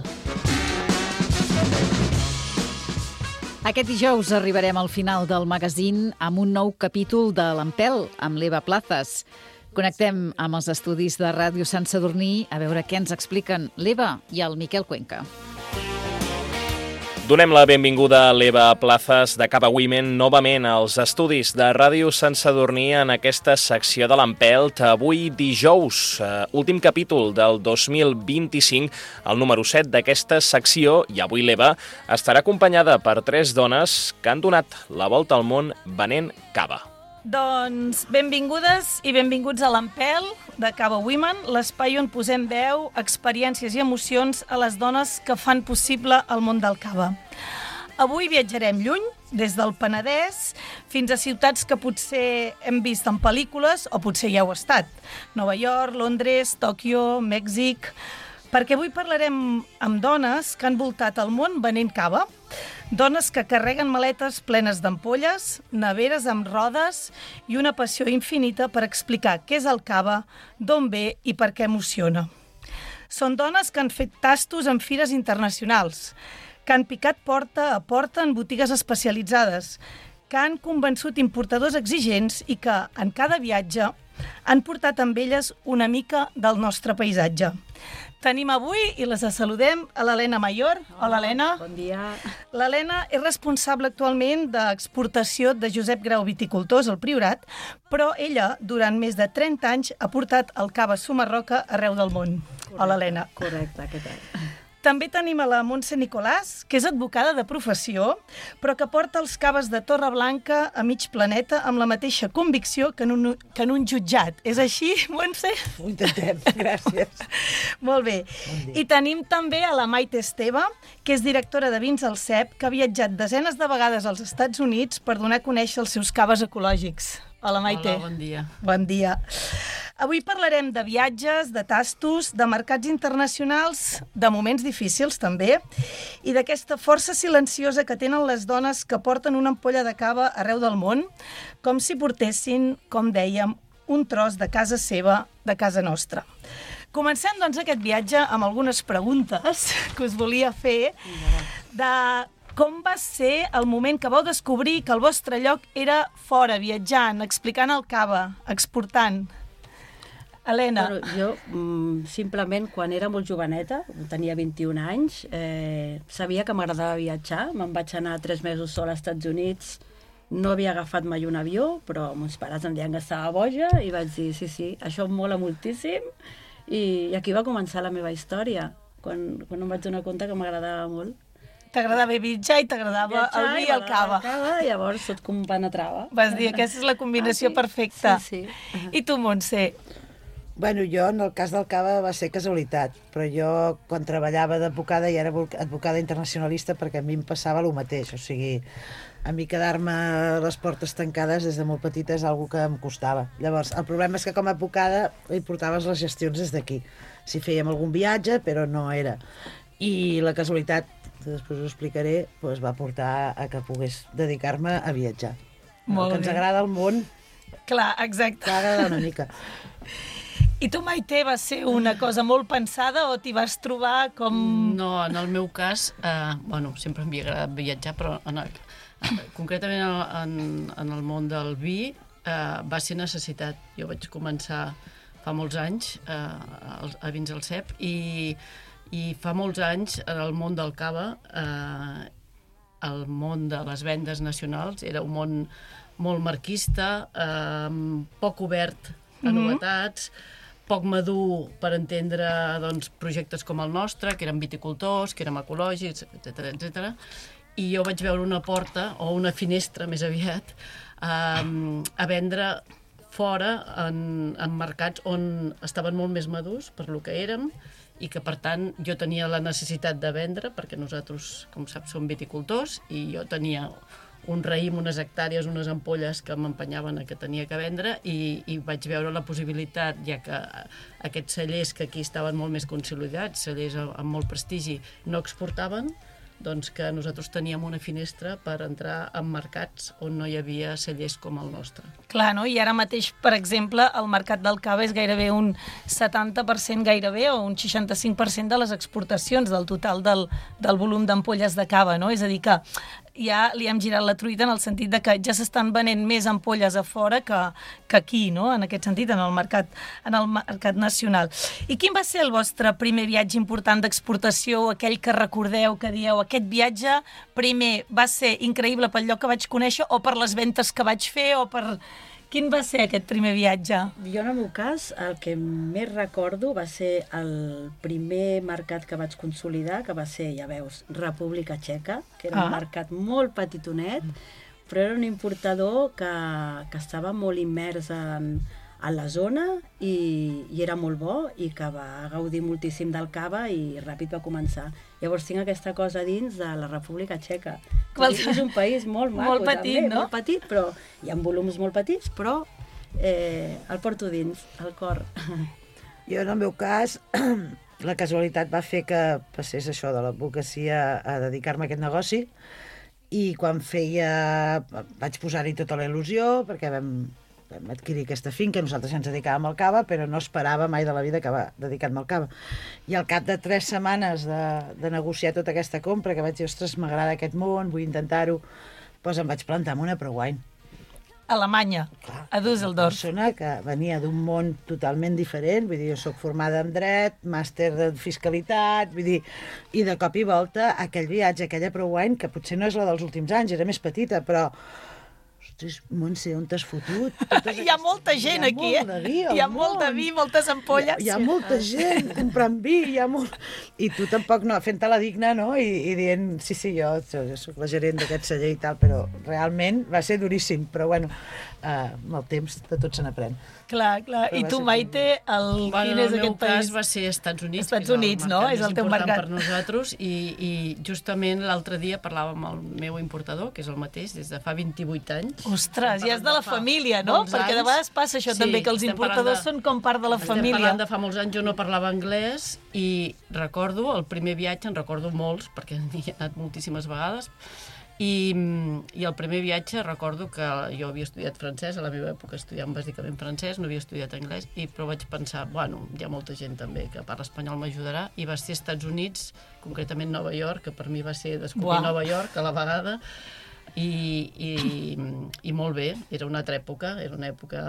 C: Aquest dijous arribarem al final del magazín amb un nou capítol de l'Empel, amb l'Eva Plazas. Connectem amb els estudis de Ràdio Sant Sadurní a veure què ens expliquen l'Eva i el Miquel Cuenca.
H: Donem la benvinguda a l'Eva Plazas de Cava Women novament als estudis de Ràdio Sant Sadurní en aquesta secció de l'Empelt. Avui dijous, eh, últim capítol del dos mil vint-i-cinc, el número set d'aquesta secció, i avui l'Eva estarà acompanyada per tres dones que han donat la volta al món venent cava.
I: Doncs benvingudes i benvinguts a l'Empel de Cava Women, l'espai on posem veu, experiències i emocions a les dones que fan possible el món del cava. Avui viatjarem lluny, des del Penedès fins a ciutats que potser hem vist en pel·lícules o potser ja heu estat. Nova York, Londres, Tòquio, Mèxic... Perquè avui parlarem amb dones que han voltat el món venent cava, dones que carreguen maletes plenes d'ampolles, neveres amb rodes i una passió infinita per explicar què és el cava, d'on ve i per què emociona. Són dones que han fet tastos en fires internacionals, que han picat porta a porta en botigues especialitzades, que han convençut importadors exigents i que, en cada viatge, han portat amb elles una mica del nostre paisatge. Tenim avui, i les saludem, a l'Helena Mayor. Hola, Helena.
J: Bon dia.
I: L'Helena és responsable actualment d'exportació de Josep Grau Viticultors al Priorat, però ella, durant més de trenta anys, ha portat el cava Sumarroca arreu del món.
J: Correcte,
I: Hola, Helena.
J: Correcte, què tal?
I: També tenim a la Montse Nicolàs, que és advocada de professió, però que porta els caves de Torreblanca a mig planeta amb la mateixa convicció que en un, que en un jutjat. És així, Montse?
J: Ho intentem, gràcies.
I: Molt bé. Bon I tenim també a la Maite Esteve, que és directora de vins al C E P, que ha viatjat desenes de vegades als Estats Units per donar a conèixer els seus caves ecològics. Hola, Maite.
K: Hola, bon dia.
I: Bon dia. Avui parlarem de viatges, de tastos, de mercats internacionals, de moments difícils també, i d'aquesta força silenciosa que tenen les dones que porten una ampolla de cava arreu del món, com si portessin, com dèiem, un tros de casa seva, de casa nostra. Comencem, doncs, aquest viatge amb algunes preguntes que us volia fer de com va ser el moment que vau descobrir que el vostre lloc era fora, viatjant, explicant el cava, exportant. Helena.
J: Bueno, jo, mm, simplement, quan era molt joveneta, tenia vint-i-un anys, eh, sabia que m'agradava viatjar. Me'n vaig anar tres mesos sola als Estats Units. No havia agafat mai un avió, però meus pares em deien que estava boja i vaig dir, sí, sí, això em mola moltíssim. I, i aquí va començar la meva història, quan, quan em vaig donar compte que m'agradava molt.
I: T'agradava viatjar i t'agradava el vi i el cava.
J: cava. I llavors tot com penetrava.
I: Vas dir, aquesta és la combinació
J: ah, sí?
I: perfecta.
J: Sí, sí.
I: I tu, Montse?
K: Bueno, jo, en el cas del cava, va ser casualitat, però jo, quan treballava d'advocada, ja era advocada internacionalista perquè a mi em passava el mateix, o sigui, a mi quedar-me a les portes tancades des de molt petita és una que em costava. Llavors, el problema és que com a advocada hi portaves les gestions des d'aquí. Si fèiem algun viatge, però no era. I la casualitat, que després ho explicaré, doncs va portar a que pogués dedicar-me a viatjar.
I: Molt
K: el que ens
I: bé.
K: agrada el món...
I: Clar, exacte.
K: T'ha agradat una mica.
I: I tu, Maite, va ser una cosa molt pensada o t'hi vas trobar com...
K: No, en el meu cas, eh, bueno, sempre m'havia agradat viatjar, però en el, concretament en, en el món del vi eh, va ser necessitat. Jo vaig començar fa molts anys eh, a, a Vins al C E P i, i fa molts anys en el món del cava, eh, el món de les vendes nacionals era un món molt marquista, eh, poc obert a novetats, poc madur per entendre doncs, projectes com el nostre, que eren viticultors, que érem ecològics, etcètera, etcètera. I jo vaig veure una porta, o una finestra més aviat, um, a vendre fora en, en mercats on estaven molt més madurs per lo que érem i que, per tant, jo tenia la necessitat de vendre, perquè nosaltres, com saps, som viticultors, i jo tenia un raïm, unes hectàrees, unes ampolles que m'empenyaven a que tenia que vendre i, i vaig veure la possibilitat, ja que aquests cellers que aquí estaven molt més consolidats, cellers amb molt prestigi, no exportaven, doncs que nosaltres teníem una finestra per entrar en mercats on no hi havia cellers com el nostre.
I: Clar, no? I ara mateix, per exemple, el mercat del cava és gairebé un setanta per cent gairebé o un seixanta-cinc per cent de les exportacions del total del, del volum d'ampolles de cava, no? És a dir que ja li hem girat la truita en el sentit de que ja s'estan venent més ampolles a fora que, que aquí, no? En aquest sentit, en el mercat, en el mercat nacional. I quin va ser el vostre primer viatge important d'exportació, aquell que recordeu, que dieu, aquest viatge primer va ser increïble pel lloc que vaig conèixer o per les ventes que vaig fer o per... Quin va ser aquest primer viatge?
J: Jo, en el meu cas, el que més recordo va ser el primer mercat que vaig consolidar, que va ser, ja veus, República Txeca, que era ah. un mercat molt petitonet, però era un importador que, que estava molt immers en, en la zona i, i era molt bo i que va gaudir moltíssim del cava i ràpid va començar. Llavors tinc aquesta cosa dins de la República Txeca. Qual... És un país molt maco,
I: molt petit,
J: també,
I: no?
J: molt petit, però hi ha volums molt petits, però eh, el porto dins, al cor.
L: Jo, en el meu cas, la casualitat va fer que passés això de l'advocacia a dedicar-me a aquest negoci i quan feia... vaig posar-hi tota la il·lusió perquè vam... vam adquirir aquesta finca, nosaltres ens dedicàvem al cava, però no esperava mai de la vida acabar dedicant-me al cava. I al cap de tres setmanes de, de negociar tota aquesta compra, que vaig dir, ostres, m'agrada aquest món, vull intentar-ho, doncs em vaig plantar amb una ProWine.
I: Alemanya, clar, a Düsseldorf.
L: Una persona que venia d'un món totalment diferent, vull dir, jo soc formada en dret, màster de fiscalitat, vull dir, i de cop i volta aquell viatge, aquella ProWine, que potser no és la dels últims anys, era més petita, però Montse, on t'has fotut?
I: Hi ha molta gent aquí, eh? Hi ha molt de vi, moltes ampolles.
L: Hi ha molta gent comprant vi, hi ha molt... I tu tampoc, no, fent-te la digna, no? I, i dient, sí, sí, jo, jo soc la gerent d'aquest celler i tal, però realment va ser duríssim. Però, bueno, eh, amb el temps de tot se n'aprèn.
I: Clar, clar. I tu, Maite, el...
K: Bueno,
I: quin és
K: el meu
I: aquest país?
K: cas va ser Estats Units,
I: Estats Units, no? És el teu mercat
K: per nosaltres, i, i justament l'altre dia parlava amb el meu importador, que és el mateix, des de fa vint-i-vuit anys.
I: Ostres, ja és de la família, no? Perquè de vegades passa això
K: sí,
I: també, que els importadors de... són com part de la
K: estem
I: família.
K: Estem parlant de fa molts anys, jo no parlava anglès, i recordo, el primer viatge, en recordo molts, perquè hi he anat moltíssimes vegades, I, i el primer viatge recordo que jo havia estudiat francès, a la meva època estudiant bàsicament francès, no havia estudiat anglès, i, però vaig pensar, bueno, hi ha molta gent també que parla espanyol, m'ajudarà, i va ser als Estats Units, concretament Nova York, que per mi va ser descobrir wow. Nova York a la vegada, i, i, i molt bé, era una altra època, era una època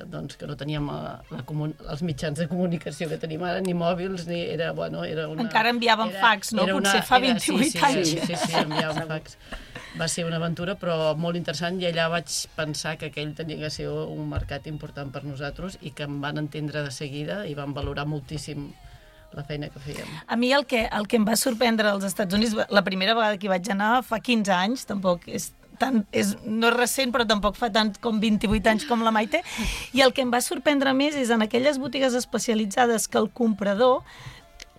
K: doncs, que no teníem la, la comun... els mitjans de comunicació que tenim ara, ni mòbils, ni era, bueno, era una...
I: Encara enviàvem
K: era,
I: fax, no?
K: Era una,
I: Potser fa
K: era,
I: vint-i-vuit
K: sí, sí,
I: anys.
K: Sí, sí, sí, enviàvem fax. Va ser una aventura, però molt interessant, i allà vaig pensar que aquell tenia que ser un mercat important per nosaltres i que em van entendre de seguida i van valorar moltíssim la feina que fèiem.
I: A mi el que, el que em va sorprendre als Estats Units, la primera vegada que hi vaig anar fa quinze anys, tampoc és tant, és, no és recent, però tampoc fa tant com vint-i-vuit anys com la Maite, i el que em va sorprendre més és en aquelles botigues especialitzades que el comprador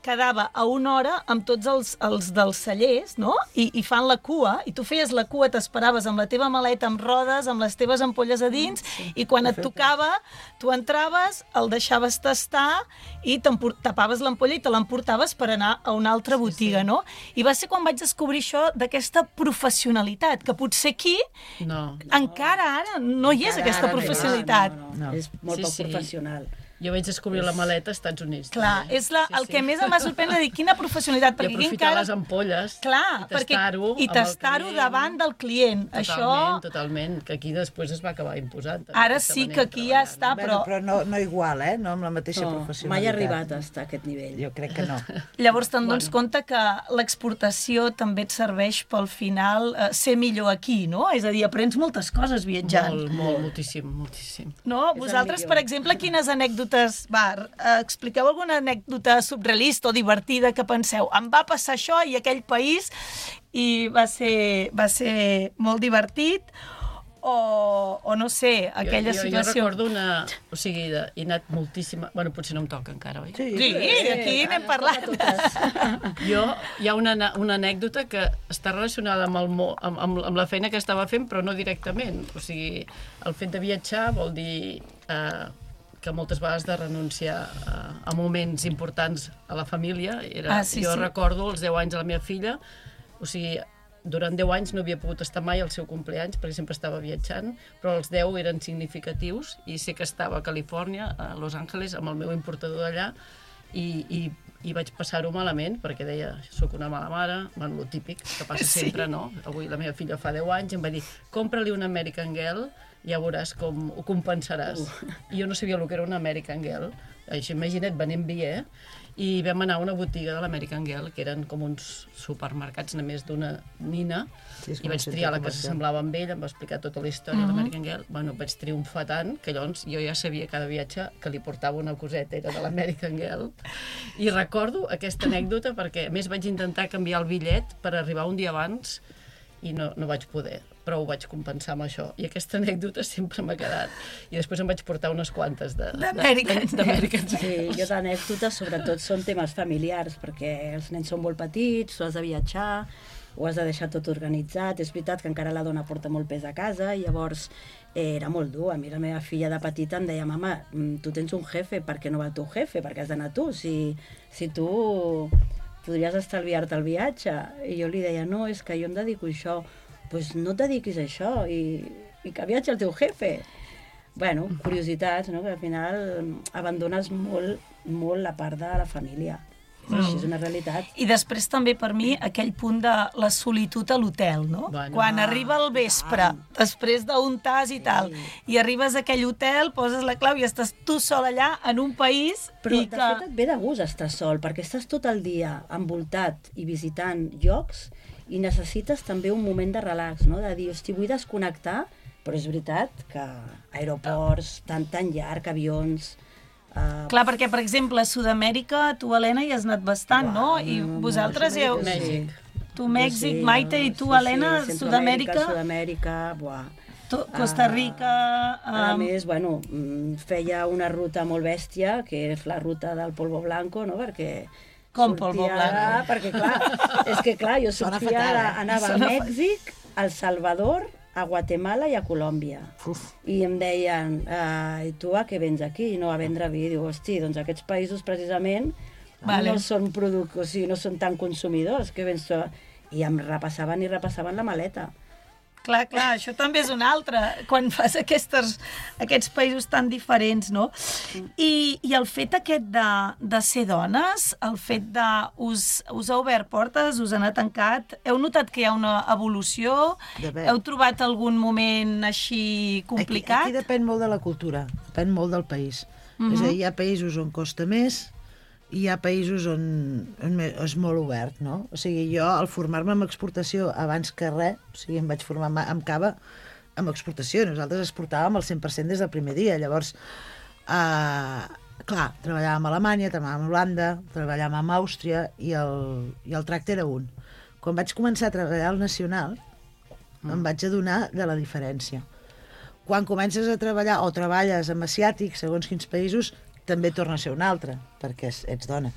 I: quedava a una hora amb tots els, els dels cellers, no? I, i fan la cua, i tu feies la cua, t'esperaves amb la teva maleta amb rodes, amb les teves ampolles a dins, sí, i quan et tocava, tu entraves, el deixaves tastar i tapaves l'ampolla i te l'emportaves per anar a una altra botiga, sí, sí. no? I va ser quan vaig descobrir això d'aquesta professionalitat, que potser aquí,
K: no.
I: encara ara, no hi és
J: encara
I: aquesta
J: ara,
I: professionalitat.
J: No, no, no. És molt sí, poc sí. professional.
K: Jo vaig descobrir és... la maleta als Estats Units.
I: Clar,
K: també.
I: és la,
K: sí,
I: el
K: sí.
I: que més em va sorprendre dir quina professionalitat.
K: I aprofitar encara... les ampolles
I: Clar,
K: i tastar-ho
I: i tastar-ho davant del client.
K: Totalment,
I: Això...
K: totalment, que aquí després es va acabar imposant.
I: Ara sí que aquí ja està, però...
L: Bueno, però no, no igual, eh? No amb la mateixa
J: no,
L: professionalitat.
J: Mai ha arribat a estar a aquest nivell.
L: Jo crec que no.
I: Llavors te'n dones bueno. compte que l'exportació també et serveix pel final eh, ser millor aquí, no? És a dir, aprens moltes coses viatjant.
K: Molt, molt, moltíssim, moltíssim.
I: No? Vosaltres, per exemple, quines anècdotes... Va, expliqueu alguna anècdota surrealista o divertida que penseu, em va passar això i aquell país i va ser, va ser molt divertit o, o no sé, aquella
K: jo, jo,
I: situació...
K: Jo recordo una... O sigui, de, he anat moltíssima... Bueno, potser no em toca encara, oi?
I: Sí, sí aquí sí, n'hem parlat.
K: Jo, hi ha una, una anècdota que està relacionada amb, el, amb, amb, amb la feina que estava fent, però no directament. O sigui, el fet de viatjar vol dir... Eh, que moltes vegades de renunciar a, a moments importants a la família. Era,
I: ah, sí,
K: jo
I: sí.
K: recordo els deu anys de la meva filla, O sigui, durant deu anys no havia pogut estar mai al seu compleanys perquè sempre estava viatjant, però els deu eren significatius i sé que estava a Califòrnia, a Los Angeles, amb el meu importador d'allà, i, i, i vaig passar-ho malament perquè deia, soc una mala mare, bueno, lo típic que passa sí. sempre, no? Avui la meva filla fa deu anys i em va dir, compra-li un American Girl, ja veuràs com ho compensaràs. Uh. I jo no sabia el que era un American Girl, això imagina't, venent vi, eh? I vam anar a una botiga de l'American Girl, que eren com uns supermercats només d'una nina, sí, i vaig triar la que s'assemblava amb ell, em va explicar tota la història uh -huh. de l'American Girl. Bueno, vaig triomfar tant que llavors jo ja sabia cada viatge que li portava una coseta, era de l'American Girl. I recordo aquesta anècdota perquè, a més, vaig intentar canviar el bitllet per arribar un dia abans i no, no vaig poder, però ho vaig compensar amb això. I aquesta anècdota sempre m'ha quedat. I després em vaig portar unes quantes de...
J: d'American. Sí, jo d'anècdotes, sobretot, són temes familiars, perquè els nens són molt petits, tu has de viatjar, ho has de deixar tot organitzat. És veritat que encara la dona porta molt pes a casa, i llavors eh, era molt dur. A mi la meva filla de petita em deia, mama, tu tens un jefe, per què no va tu jefe? Per què has d'anar tu? Si, si tu podries estalviar-te el viatge. I jo li deia, no, és que jo em dedico a això. Pues no et dediquis a això i, i que viatgi el teu jefe. Bueno, curiositats, no? Que al final abandones molt, molt la part de la família. Mm. Així és una realitat.
I: I després també per mi aquell punt de la solitud a l'hotel, no?
J: Bueno,
I: Quan arriba el vespre, ah. després d'un tas i tal, sí. i arribes a aquell hotel, poses la clau i estàs tu sol allà en un país...
J: Però
I: i
J: de
I: que...
J: fet et ve de gust estar sol, perquè estàs tot el dia envoltat i visitant llocs i necessites també un moment de relax, no? De dir, hosti, vull desconnectar, però és veritat que aeroports tan, tan llarg, avions... Uh...
I: Clar, perquè, per exemple, a Sud-amèrica, tu, Helena, hi has anat bastant,
J: Uau,
I: no? I
J: no,
I: vosaltres hi heu...
J: Mèxic.
I: Tu, Mèxic,
J: sí,
I: Maite, i tu,
J: sí,
I: Helena,
J: sí,
I: Sud-amèrica...
J: Sud-amèrica, buah.
I: Costa Rica...
J: Uh, a més, bueno, feia una ruta molt bèstia, que és la ruta del Polvo Blanco, no? Perquè...
I: Com Polvo Blanco?
J: Perquè, clar, és que, clar, jo sortia, fatal, eh? anava a Mèxic, a El Salvador, a Guatemala i a Colòmbia. Uf. I em deien, uh, i tu a què vens aquí? No, a vendre vi. Diu, hosti, doncs aquests països precisament vale. no són produc... o sigui, no són tan consumidors. Que vens tu? I em repassaven i repassaven la maleta.
I: Clar, clar, això també és un altre, quan fas aquestes, aquests països tan diferents, no? I, i el fet aquest de, de ser dones, el fet de... Us, us ha obert portes, us ha tancat, heu notat que hi ha una evolució? Heu trobat algun moment així complicat?
L: Aquí, aquí depèn molt de la cultura, depèn molt del país. Uh-huh. És a dir, hi ha països on costa més, i hi ha països on, on és molt obert, no? O sigui, jo, al formar-me en exportació abans que res, o sigui, em vaig formar amb cava amb exportació. Nosaltres exportàvem el cent per cent des del primer dia. Llavors, eh, clar, treballàvem a Alemanya, treballàvem a Holanda, treballàvem a Àustria, i el, i el tracte era un. Quan vaig començar a treballar al Nacional, mm. em vaig adonar de la diferència. Quan comences a treballar, o treballes amb asiàtics, segons quins països, també torna a ser una altra, perquè ets dona.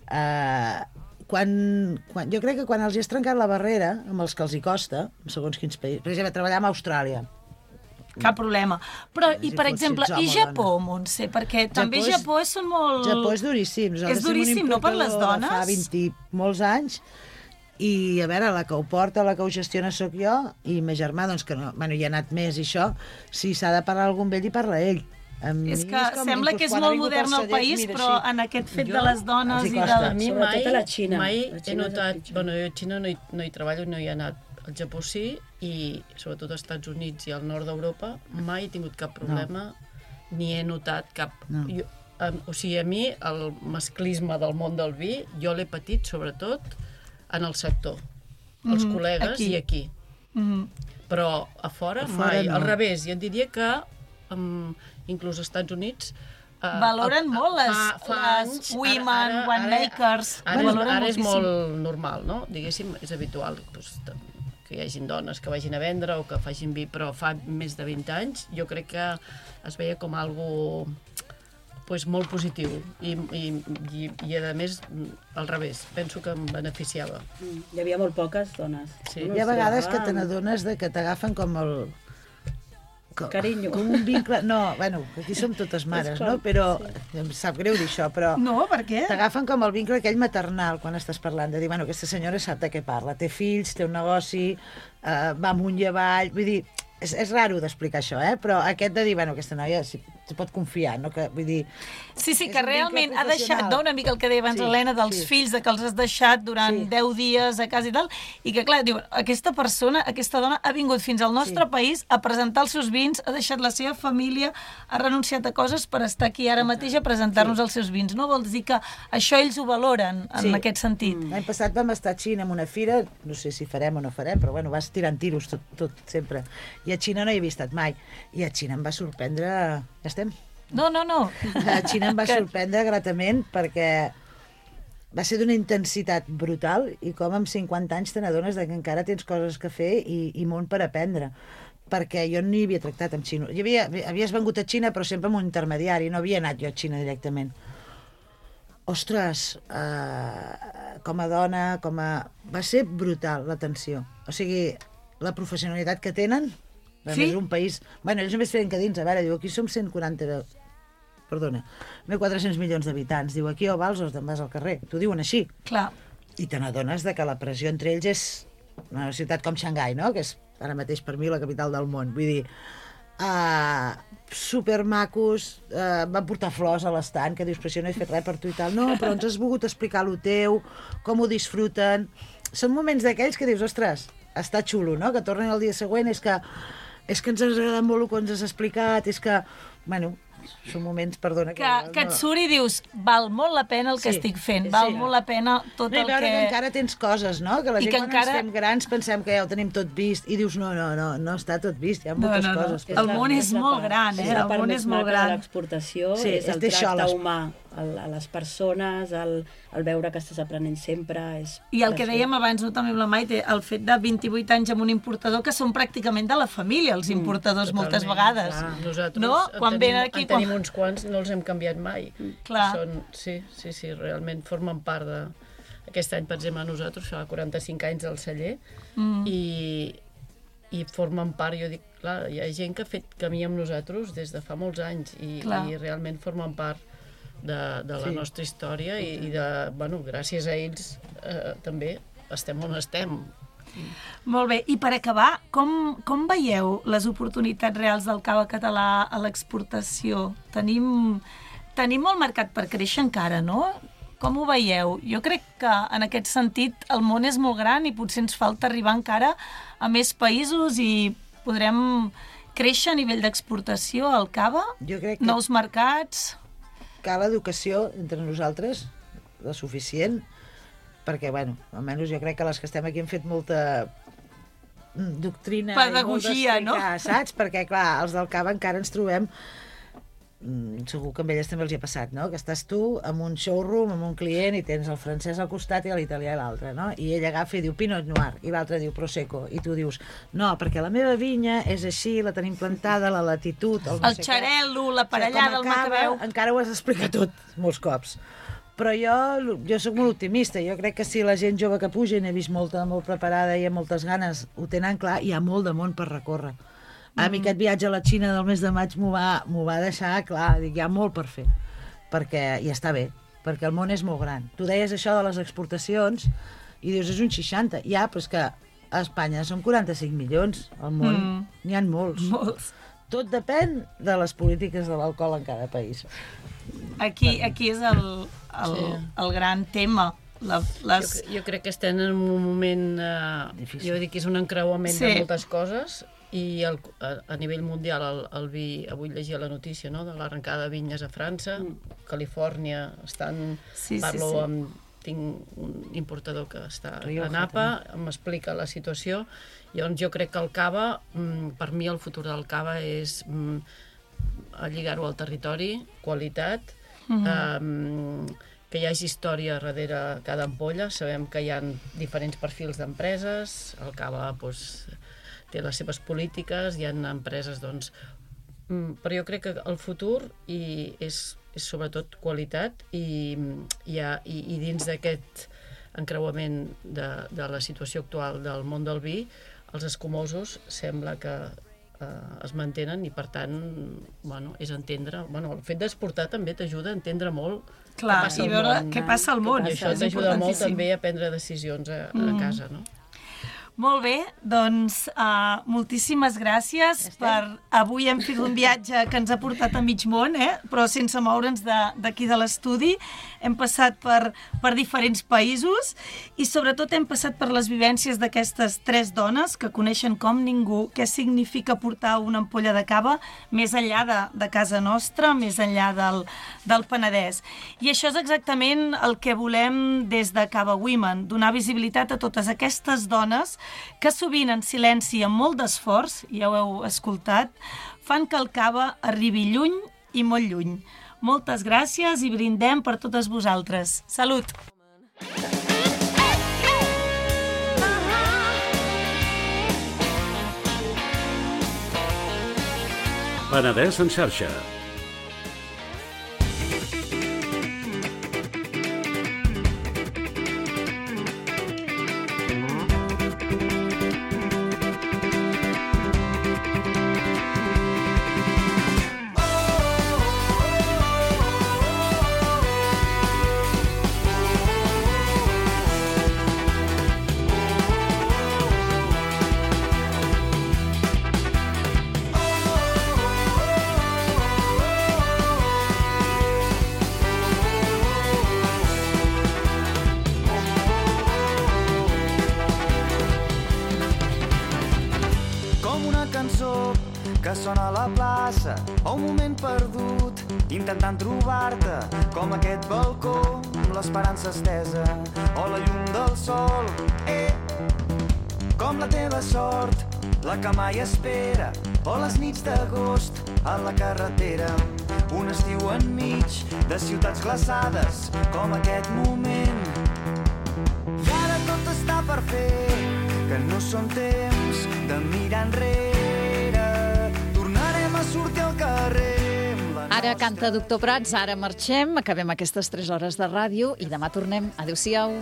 L: Uh, quan, quan, jo crec que quan els hi has trencat la barrera, amb els que els hi costa, segons quins països, per exemple, treballar a Austràlia.
I: Cap problema. Però, i per exemple, i Japó, Montse? Perquè també Japó és molt...
L: Japó és duríssim.
I: És duríssim, no, per les dones?
L: Fa vint i molts anys, i a veure, la que ho porta, la que ho gestiona sóc jo, i ma germà, doncs que no, bueno, hi ha anat més i això, si s'ha de parlar algun vell, hi parla ell.
I: És que sembla que és molt modern el país, però en aquest fet de les dones i de...
K: A mi mai, mai he notat... Bueno, jo a Xina no hi, no hi treballo, no hi he anat. Al Japó sí, i sobretot als Estats Units i al nord d'Europa mai he tingut cap problema, ni he notat cap... Jo, o sigui, a mi el masclisme del món del vi, jo l'he patit sobretot en el sector. Els mm, col·legues aquí. I aquí. Mm. Però a fora, a fora mai. No. Al revés, i et diria que... Um, inclús als Estats Units...
I: Uh, Valoren molt les, fa, fa les anys, women, ara, winemakers.
K: Ara, ara, ara, ara és molt normal, no? Diguéssim, és habitual doncs, que hi hagin dones que vagin a vendre o que facin vi, però fa més de vint anys jo crec que es veia com algo pues, molt positiu i, i, i, i a més al revés, penso que em beneficiava.
J: Mm, hi havia molt poques dones.
L: Sí. Hi ha vegades que te n'adones de que t'agafen com el... com,
J: carinyo.
L: Com un vincle... No, bueno, aquí som totes mares, no? Però sí. Em sap greu dir això, però...
I: No, per què?
L: T'agafen com el vincle aquell maternal quan estàs parlant, de dir, bueno, aquesta senyora sap de què parla, té fills, té un negoci, eh, va amunt i avall, vull dir, és, és raro d'explicar això, eh? Però aquest de dir, bueno, aquesta noia s'hi pot confiar, no? Que, vull dir...
I: Sí, sí, que realment ha deixat, no, una mica el que deia abans sí, Helena, dels sí. fills, de que els has deixat durant sí. deu dies a casa i tal, i que, clar, diu, aquesta persona, aquesta dona ha vingut fins al nostre sí. país a presentar els seus vins, ha deixat la seva família, ha renunciat a coses per estar aquí ara mateix a presentar-nos sí. els seus vins, no? Vols dir que això ells ho valoren, en sí. aquest sentit.
L: Mm. L'any passat vam estar a Xina en una fira, no sé si farem o no farem, però bueno, vas tirant tiros tot, tot sempre. I a Xina no hi havia estat mai. I a Xina em va sorprendre... Ja estem?
I: No, no, no.
L: A Xina em va sorprendre gratament perquè va ser d'una intensitat brutal i com amb cinquanta anys te n'adones que encara tens coses que fer i, i molt per aprendre. Perquè jo no hi havia tractat amb xino. Hi havia, havies vengut a Xina però sempre amb un intermediari, no havia anat jo a Xina directament. Ostres, eh, com a dona, com a... va ser brutal l'atenció. O sigui, la professionalitat que tenen, sí? És un país... Bueno, ells només feien que dins, a veure, diu, aquí som cent quaranta... Perdona, mil quatre-cents milions d'habitants. Diu, aquí o vals o te'n vas al carrer. T'ho diuen així.
I: Clar.
L: I te n'adones de que la pressió entre ells és una ciutat com Xangai, no? Que és ara mateix per mi la capital del món. Vull dir, uh, supermacos, uh, van portar flors a l'estant, que dius, però si no he fet res per tu i tal. No, però ens has volgut explicar lo teu, com ho disfruten. Són moments d'aquells que dius, ostres, està xulo, no? Que tornen el dia següent, és que, és que ens ha agradat molt el que ens has explicat, és que, bueno... són moments, perdona...
I: Que, que, que et surt i dius, val molt la pena el que sí, estic fent, val sí. molt la pena tot
L: no,
I: el
L: veure
I: que...
L: que encara tens coses, no? Que la gent que quan encara... ens fem grans pensem que ja ho tenim tot vist i dius, no, no, no, no està tot vist, hi ha moltes no, no, no. coses.
I: El món és molt gran, eh? El món és molt gran.
J: L'exportació sí, és el tracte humà a les persones, el, el veure que estàs aprenent sempre... És
I: I el que dèiem abans, no, també amb la Maite, el fet de vint-i-vuit anys amb un importador que són pràcticament de la família, els importadors, mm, moltes vegades.
K: Clar. Nosaltres
I: no? quan
K: en, tenim,
I: aquí,
K: en tenim uns quants, no els hem canviat mai.
I: Clar.
K: Són, sí, sí, sí, realment formen part de... Aquest any, per exemple, nosaltres fa quaranta-cinc anys al celler mm. i, i formen part, jo dic, clar, hi ha gent que ha fet camí amb nosaltres des de fa molts anys i, i realment formen part de, de la sí. nostra història i, i de, bueno, gràcies a ells eh, també estem on estem.
I: Molt bé, i per acabar, com, com veieu les oportunitats reals del cava català a l'exportació? Tenim, tenim molt mercat per créixer encara, no? Com ho veieu? Jo crec que en aquest sentit el món és molt gran i potser ens falta arribar encara a més països i podrem créixer a nivell d'exportació al cava?
L: Jo crec que...
I: Nous mercats...
L: Cal educació entre nosaltres, la suficient, perquè, bueno, almenys jo crec que les que estem aquí hem fet molta doctrina
I: pedagogia,
L: i molt
I: no?
L: Saps? Perquè, clar, els del cava encara ens trobem, segur que amb elles també els hi ha passat, no? Que estàs tu amb un showroom, amb un client, i tens el francès al costat i l'italià a l'altre, no? I ell agafa i diu Pinot Noir, i l'altre diu Prosecco, i tu dius, no, perquè la meva vinya és així, la tenim plantada, la latitud... El, no
I: el xarel·lo, l'aparellada, el macabeu...
L: Encara ho has d'explicar tot, molts cops. Però jo, jo sóc molt optimista, jo crec que si la gent jove que puja, i n'he vist molta, molt preparada i amb moltes ganes, ho tenen clar, hi ha molt de món per recórrer. A mi aquest viatge a la Xina del mes de maig m'ho va, m'ho va deixar clar, dic, hi ha molt per fer, perquè i està bé, perquè el món és molt gran. Tu deies això de les exportacions i dius, és un seixanta, ja, però és que a Espanya són quaranta-cinc milions, al món mm. n'hi ha molts.
I: molts.
L: Tot depèn de les polítiques de l'alcohol en cada país.
I: Aquí, aquí és el, el, sí. el gran tema. La, les...
K: jo, jo crec que estem en un moment, eh, jo dic que és un encreuament sí. de moltes coses, i el, a, a nivell mundial el, el vi, avui llegia la notícia, no?, de l'arrencada de vinyes a França, mm. Califòrnia, estan,
I: sí,
K: parlo
I: sí, sí.
K: amb, tinc un importador que està
L: Rioja,
K: a Napa,
L: també.
K: m'explica la situació, llavors jo crec que el cava, per mi el futur del cava és lligar-ho al territori, qualitat, mm-hmm. eh, que hi hagi història darrere cada ampolla, sabem que hi ha diferents perfils d'empreses, el cava, doncs, té les seves polítiques, hi ha empreses, doncs... Però jo crec que el futur i és, és sobretot qualitat i, i, i, i dins d'aquest encreuament de, de la situació actual del món del vi, els escumosos sembla que eh, es mantenen i, per tant, bueno, és entendre... Bueno, el fet d'exportar també t'ajuda a entendre molt
I: Clar,
K: què passa
I: i veure
K: món.
I: què passa al món.
K: I això
I: És
K: t'ajuda molt
I: importantíssim.
K: també a prendre decisions a, a
I: Mm.
K: casa, no?
I: Molt bé, doncs uh, moltíssimes gràcies per... Avui hem fet un viatge que ens ha portat a mig món, eh? Però sense moure'ns d'aquí de, de l'estudi. Hem passat per, per diferents països i sobretot hem passat per les vivències d'aquestes tres dones que coneixen com ningú què significa portar una ampolla de cava més enllà de, de casa nostra, més enllà del, del Penedès. I això és exactament el que volem des de Cava Women, donar visibilitat a totes aquestes dones que sovint en silenci i amb molt d'esforç, ja ho heu escoltat, fan que el cava arribi lluny i molt lluny. Moltes gràcies i brindem per totes vosaltres. Salut!
B: Penedès en xarxa.
M: que sona a la plaça o un moment perdut intentant trobar-te com aquest balcó amb l'esperança estesa o la llum del sol, eh, com la teva sort, la que mai espera o les nits d'agost a la carretera, un estiu enmig de ciutats glaçades com aquest moment. I ara tot està per fer, que no són temps de mirar enrere, tornarem a sortir al carrer.
C: Ara canta Doctor Prats, ara marxem, acabem aquestes tres hores de ràdio i demà tornem. Adéu-siau.